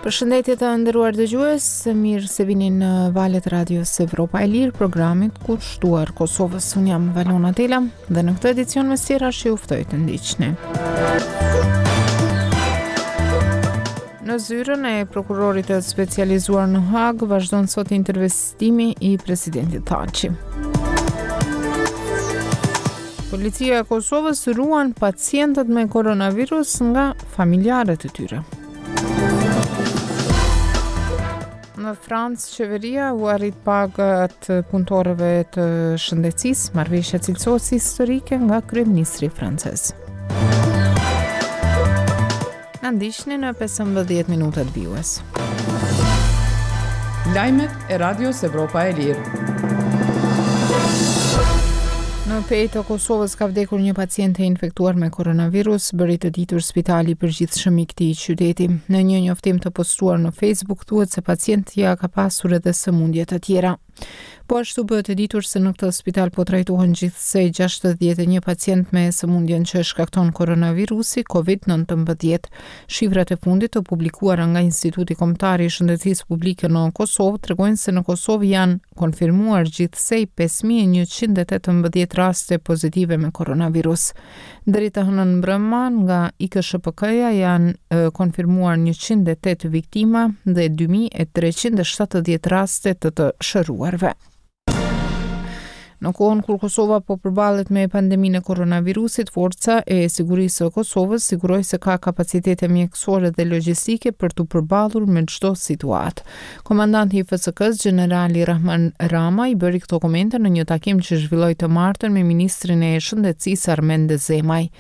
Përshëndetje të nderuar dëgjues, mirë se vini në valët e Radios Evropa e Lirë, programit kushtuar Kosovës. Unë jam Valona Tela dhe në këtë edicion mes tjerash ju ftoj të ndiqni. Në zyrën e prokurorit të specializuar në Hagë vazhdon sot intervistimi i presidentit Thaçi. Policia e Kosovës ruan pacientët me koronavirus nga familjarët e tyre. Në Francë, qeveria ua rrit pagat punëtorëve të shëndetësisë, marrëveshja cilësohet si historike nga kryeministri francez. Na ndiqni në 15 minutat vijuese. Lajmet e Radios Evropa e Lirë. Në Pejë të Kosovës ka vdekur një pacient e infektuar me koronavirus, bëri të ditur spitali i përgjithshëm i këtij qyteti. Në një njoftim të postuar në Facebook thuhet se pacientja ka pasur edhe sëmundje të tjera. Po ashtu bëhet e ditur se në këtë spital po trajtohen gjithsej 61 pacientë me sëmundjen që shkakton koronavirusi COVID-19. Shifrat e fundit të publikuara nga Instituti Kombëtar i Shëndetësisë Publike në Kosovë tregojnë se në Kosovë janë konfirmuar gjithsej 5118 raste pozitive me koronavirus. Deri të hënën mbrëma nga IKSHPK-ja janë konfirmuar 108 viktima dhe 2370 raste të të shëruarve. Në kohën kur Kosova po përballet me pandeminë e koronavirusit, Forca e Sigurisë së Kosovës siguroi se ka kapacitete mjekësore dhe logjistike për t'u përballur me çdo situatë. Komandanti i FSK-së, gjenerali Rrahman Rama, i bëri këto komente në një takim që zhvilloi të martën me ministrin e Shëndetësisë Armend Zemaj.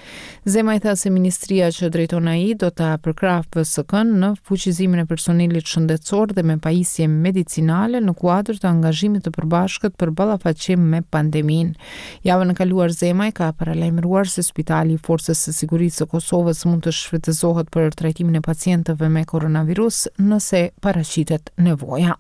Zemaj tha se ministria që drejton ai do ta përkrahë FSK-në në fuqizimin e personelit shëndetësor dhe me pajisje medicinale në kuadër të angazhimit të përbashkët për ballafaqim me pandeminë. Javën e kaluar Zemaj ka paralajmëruar se Spitali i Forcës së Sigurisë së Kosovës mund të shfrytëzohet për trajtimin e pacientëve me koronavirus nëse paraqitet nevoja.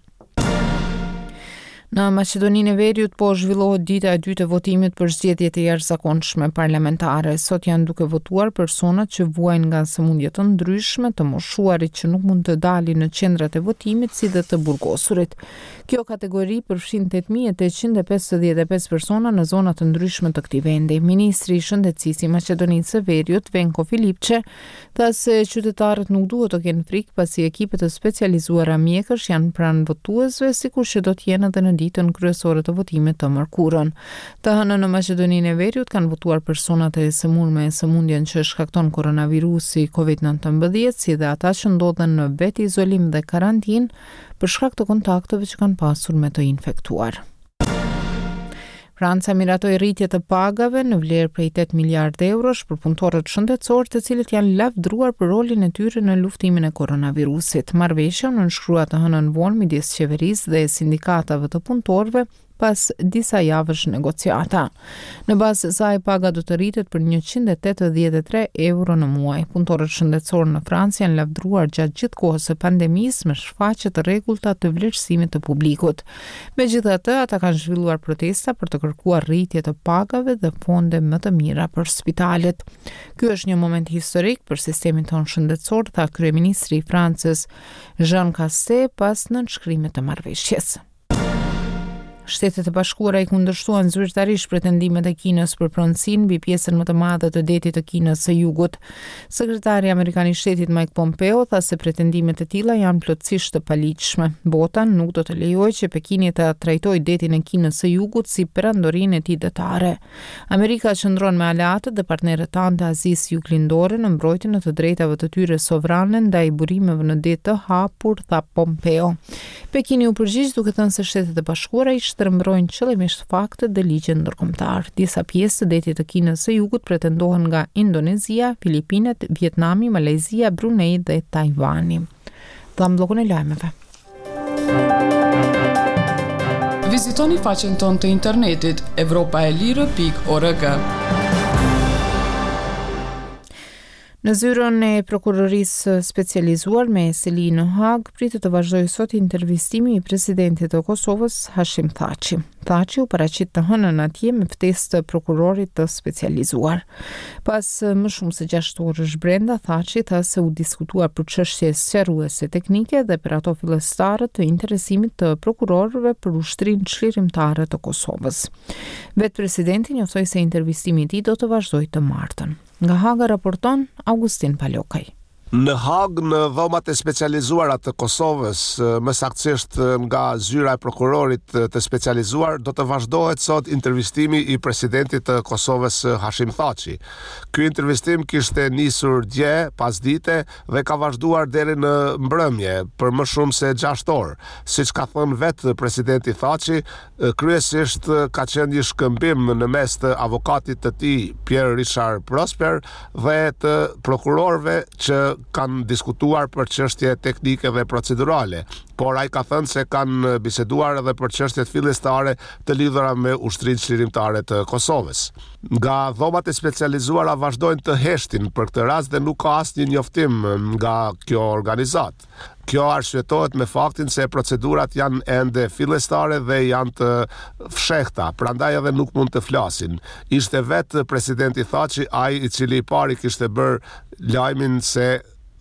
Në Maqedoninë e Veriut po zhvillohet dita e dytë e votimit për zgjedhjet e jashtëzakonshme parlamentare. Sot janë duke votuar personat që vuajnë nga sëmundje të ndryshme, të moshuarit që nuk mund të dalin në qendrat e votimit si dhe të burgosurit. Kjo kategori përfshin 8855 persona në zona të ndryshme të këtij vendi. Ministri i Shëndetësisë i Maqedonisë së Veriut, Venko Filipçe, Tha se qytetarët nuk duhet të kenë frikë pasi ekipe të specializuara mjekësh janë pranë votuesve, sikur që do të jenë edhe në ditën kryesore të votimit të mërkurën. Të hënën në Maqedoninë e Veriut kanë votuar personat e sëmurë me sëmundjen që shkakton koronavirusi COVID-19, si dhe ata që ndodhen në vetizolim dhe karantinë për shkak të kontakteve që kanë pasur me të infektuar. Franca miratoi rritje të pagave në vlerë prej 8 miliardë eurosh për punëtorët shëndetësorë, të cilët janë lavdëruar për rolin e tyre në luftimin e koronavirusit. Marrëveshja u nënshkrua të hënën vonë midis qeverisë dhe sindikatave të punëtorëve pas disa javësh negociata. Në bazë të saj, paga do të rritet për 183 euro në muaj. Punëtorët shëndetësorë në Francë janë lavdëruar gjatë gjithë kohës së pandemisë me shfaqje të rregullta të vlerësimit të publikut. Megjithatë, ata kanë zhvilluar protesta për të kërkuar rritje të pagave dhe fonde më të mira për spitalet. Ky është një moment historik për sistemin tonë shëndetësor, tha kryeministri i Francës, Jean Castex, pas nënshkrimit të marrëveshjes. Shtetet e Bashkuara i kundërshtuan zyrtarisht pretendimet e Kinës për pronësinë mbi pjesën më të madhe të detit të Kinës së Jugut. Sekretari amerikan i Shtetit Mike Pompeo tha se pretendimet e tilla janë plotësisht të paligjshme. Bota nuk do të lejojë që Pekini ta trajtojë detin e Kinës së Jugut si perandorinë e tij detare. Amerika qëndron me aleatët dhe partnerët tanë të Azisë Juglindore në mbrojtjen e të drejtave të tyre sovrane ndaj burimeve në det të hapur, tha Pompeo. Pekini u përgjigj duke thënë se Shtetet e Bashkuara i shtrembërojnë qëllimisht faktet dhe ligjin ndërkombëtar. Disa pjesë të detit të Kinës së Jugut pretendohen nga Indonezia, Filipinet, Vietnami, Malajzia, Brunei dhe Tajvani. Dhamë bllokun e lajmeve. Vizitoni faqen tonë të internetit evropaelire.org. Në zyrën e Prokurorisë së Specializuar me seli në Hagë pritet të vazhdojë sot intervistimi i presidentit të Kosovës, Hashim Thaçi. Thaçi u paraqit të hënën atje me ftesë të prokurorit të specializuar. Pas më shumë se 6 orësh brenda, Thaçi tha se u diskutua për çështje sqaruese teknike dhe për ato fillestare të interesimit të prokurorëve për ushtrinë çlirimtare të Kosovës. Vetë presidenti njoftoi se intervistimi i tij do të vazhdojë të martën. Nga Haga raporton Augustin Palokaj. Në Hagë, në Dhomat e Specializuara të Kosovës, më saktësisht nga Zyra e Prokurorit të Specializuar, do të vazhdohet sot intervistimi i presidentit të Kosovës Hashim Thaçi. Ky intervistim kishte nisur dje pasdite dhe ka vazhduar deri në mbrëmje, për më shumë se 6 orë. Siç ka thënë vetë presidenti Thaçi, Kryesisht ka qenë një shkëmbim në mes të avokatit të tij Pierre Richard Prosper dhe të prokurorëve që kanë diskutuar për çështje teknike dhe procedurale, por ai ka thënë se kanë biseduar edhe për çështjet fillestare të lidhura me Ushtrinë Çlirimtare të Kosovës. Nga dhomat e specializuara vazhdojnë të heshtin për këtë rast dhe nuk ka asnjë njoftim nga kjo organizatë. Kjo arsyetohet me faktin se procedurat janë ende fillestare dhe janë të fshehta, prandaj edhe nuk mund të flasin. Ishte vetë presidenti Thaçi ai i cili i pari kishte bërë lajmin se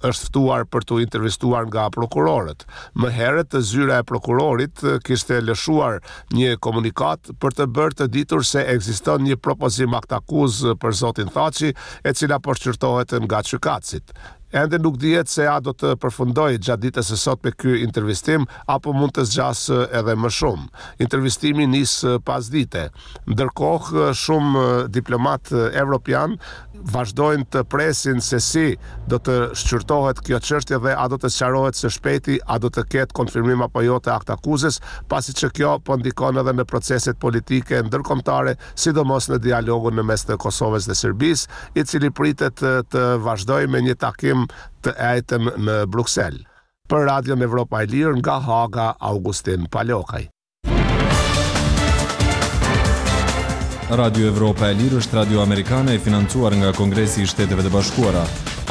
është ftuar për t'u intervistuar nga prokurorët. Më herët, zyra e prokurorit kishte lëshuar një komunikatë për të bërë të ditur se ekziston një propozim aktakuzë për zotin Thaçi, e cila po shqyrtohet nga gjykatësit. Ende nuk dihet se a do të përfundojë gjatë ditës së sotme ky intervistim apo mund të zgjasë edhe më shumë. Intervistimi nis pasdite. Ndërkohë, shumë diplomatë evropianë vazhdojnë të presin se si do të shqyrtohet kjo çështje dhe a do të sqarohet së shpejti, a do të ketë konfirmim apo jo të aktakuzës, pasi që kjo po ndikon edhe në proceset politike ndërkombëtare sidomos në dialogun në mes të Kosovës dhe Serbisë, i cili pritet të vazhdojë me një takim të enjten në Bruksel. Për Radion Evropa e Lirë nga Haga, Augustin Palokaj. Radio Evropa e Lirë është radio amerikane e financuar nga Kongresi i Shteteve të Bashkuara.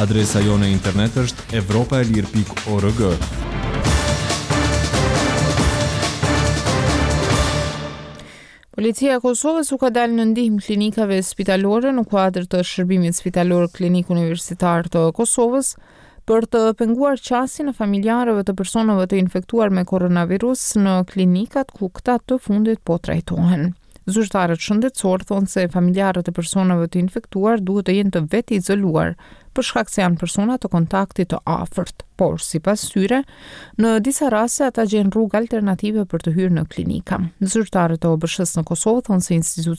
Adresa jonë e internet është evropaelire.org. Policia e Kosovës u ka dalë në ndihmë klinikave spitalore në kuadër të shërbimit spitalor Klinik Universitar të Kosovës për të penguar qasjen e familjarëve të personave të infektuar me koronavirus në klinikat ku këta të fundit po trajtohen. Zyrtarët shëndetësorë thonë se familjarët e personave të infektuar duhet të jenë të vetëizoluar për shkak se janë persona të kontaktit të afërt. Por, sipas tyre, në disa raste ata gjejnë rrugë alternative për të hyrë në klinika. Zyrtarët e OBSH-së në Kosovë thonë se institucioni.